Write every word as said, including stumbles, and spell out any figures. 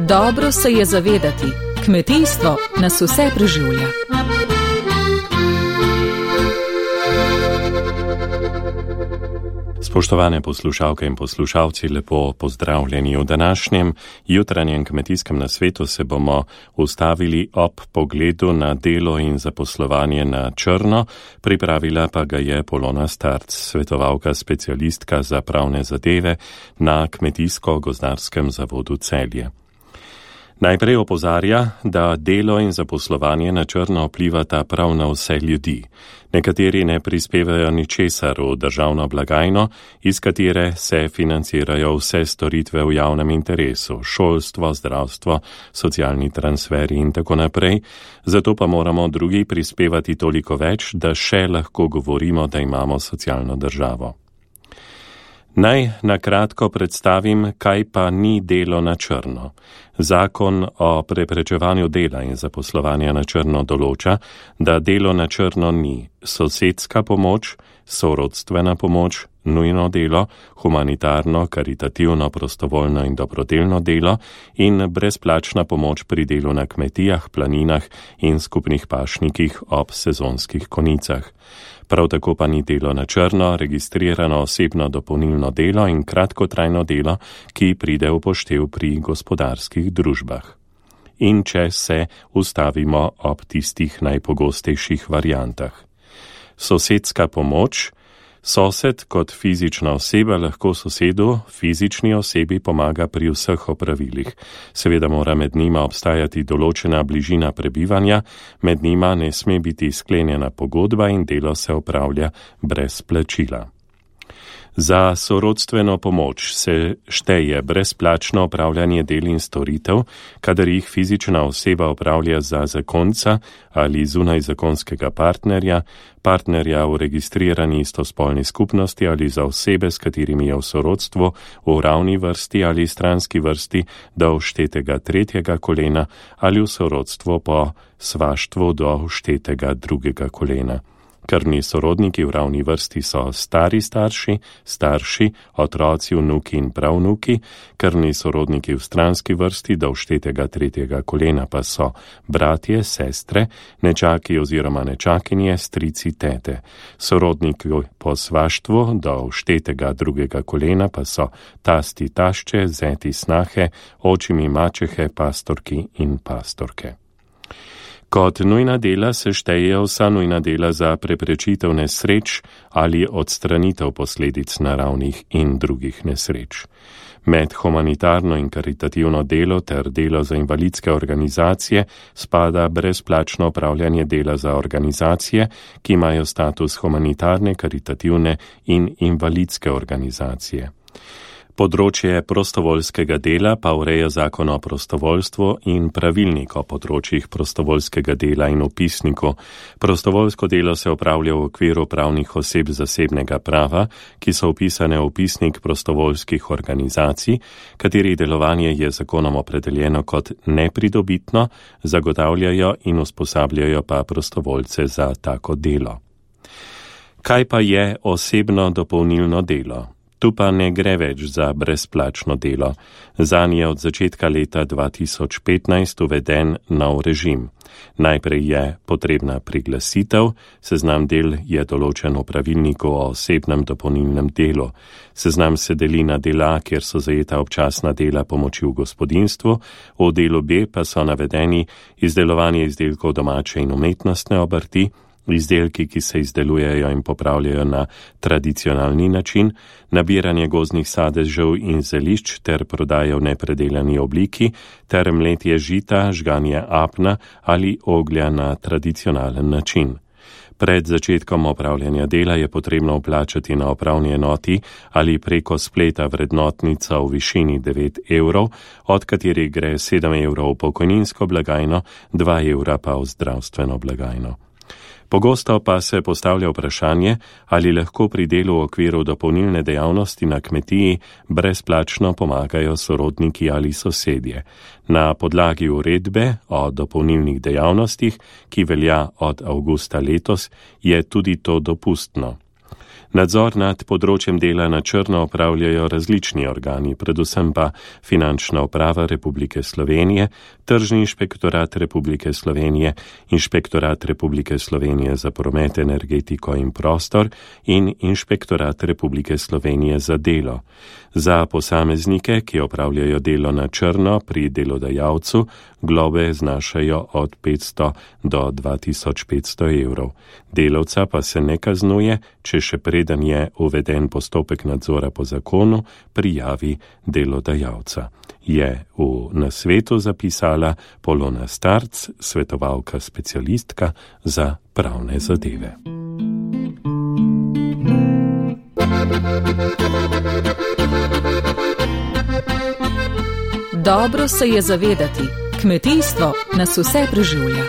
Dobro se je zavedati, kmetijstvo nas vse preživlja. Spoštovane poslušalke in poslušalci, lepo pozdravljeni v današnjem jutranjem kmetijskem nasvetu. Se bomo ustavili ob pogledu na delo in zaposlovanje na črno, pripravila pa ga je Polona Starc, svetovalka specialistka za pravne zadeve na Kmetijsko-gozdarskem zavodu Celje. Najprej opozarja, da delo in zaposlovanje na črno vplivata prav na vse ljudi. Nekateri ne prispevajo ničesar v državno blagajno, iz katere se financirajo vse storitve v javnem interesu, šolstvo, zdravstvo, socialni transferi in tako naprej, zato pa moramo drugi prispevati toliko več, da še lahko govorimo, da imamo socialno državo. Naj na kratko predstavim, kaj pa ni delo na črno. Zakon o preprečevanju dela in zaposlovanja na črno določa, da delo na črno ni sosedska pomoč, sorodstvena pomoč, nujno delo, humanitarno, karitativno, prostovoljno in dobrodelno delo in brezplačna pomoč pri delu na kmetijah, planinah in skupnih pašnikih ob sezonskih konicah. Prav tako pa ni delo na črno, registrirano osebno dopolnilno delo in kratkotrajno delo, ki pride v poštev pri gospodarskih družbah. In če se ustavimo ob tistih najpogostejših variantah. Sosedska pomoč. Sosed kot fizična oseba lahko sosedu, fizični osebi, pomaga pri vseh opravilih. Seveda mora med njima obstajati določena bližina prebivanja, med njima ne sme biti sklenjena pogodba in delo se opravlja brez plačila. Za sorodstveno pomoč se šteje brezplačno opravljanje del in storitev, kadar jih fizična oseba opravlja za zakonca ali zunaj zakonskega partnerja, partnerja v registrirani istospolni skupnosti ali za osebe, s katerimi je v sorodstvu v ravni vrsti ali stranski vrsti do vštetega tretjega kolena ali v sorodstvu po svaštvu do vštetega drugega kolena. Krvni sorodniki v ravni vrsti so stari starši, starši, otroci, vnuki in pravnuki, krvni sorodniki v stranski vrsti do vštetega tretjega kolena pa so bratje, sestre, nečaki oziroma nečakinje, strici, tete. Sorodniki po svaštvu do vštetega drugega kolena pa so tasti, tašče, zeti, snahe, očimi, mačehe, pastorki in pastorke. Kot nujna dela se štejejo vsa nujna dela za preprečitev nesreč ali odstranitev posledic naravnih in drugih nesreč. Med humanitarno in karitativno delo ter delo za invalidske organizacije spada brezplačno opravljanje dela za organizacije, ki imajo status humanitarne, karitativne in invalidske organizacije. Področje prostovoljskega dela pa ureja zakon o prostovoljstvu in pravilnik o področjih prostovoljskega dela in upisniku. Prostovoljsko delo se opravlja v okviru pravnih oseb zasebnega prava, ki so upisane v upisnik prostovoljskih organizacij, katerih delovanje je zakonom opredeljeno kot nepridobitno, zagotavljajo in usposabljajo pa prostovoljce za tako delo. Kaj pa je osebno dopolnilno delo? Tu pa ne gre več za brezplačno delo. Zanj je od začetka leta dva tisoč petnajst uveden nov režim. Najprej je potrebna priglasitev, seznam del je določen v pravilniku o osebnem dopolnilnem delu. Seznam se deli na dela, kjer so zajeta občasna dela pomoči v gospodinjstvu, v delu B pa so navedeni izdelovanje izdelkov domače in umetnostne obrti, izdelki, ki se izdelujejo in popravljajo na tradicionalni način, nabiranje gozdnih sadežev in zelišč ter prodaja v nepredelani obliki, ter mletje žita, žganje apna ali oglja na tradicionalen način. Pred začetkom opravljanja dela je potrebno vplačati na upravni enoti ali preko spleta vrednotnica v višini devet evrov, od katerih gre sedem evrov v pokojninsko blagajno, dva evra pa v zdravstveno blagajno. Pogosto pa se postavlja vprašanje, ali lahko pri delu v okviru dopolnilne dejavnosti na kmetiji brezplačno pomagajo sorodniki ali sosedje. Na podlagi uredbe o dopolnilnih dejavnostih, ki velja od avgusta letos, je tudi to dopustno. Nadzor nad področjem dela na črno opravljajo različni organi, predvsem pa Finančna uprava Republike Slovenije, Tržni inšpektorat Republike Slovenije, Inšpektorat Republike Slovenije za promet, energetiko in prostor in Inšpektorat Republike Slovenije za delo. Za posameznike, ki opravljajo delo na črno pri delodajalcu, globe znašajo od petsto do dva tisoč petsto evrov. Delavca pa se ne kaznuje, če še preden je uveden postopek nadzora po zakonu, prijavi delodajalca. Je v nasvetu zapisala Polona Starc, svetovalka specialistka za pravne zadeve. Dobro se je zavedati, kmetijstvo nas vse preživlja.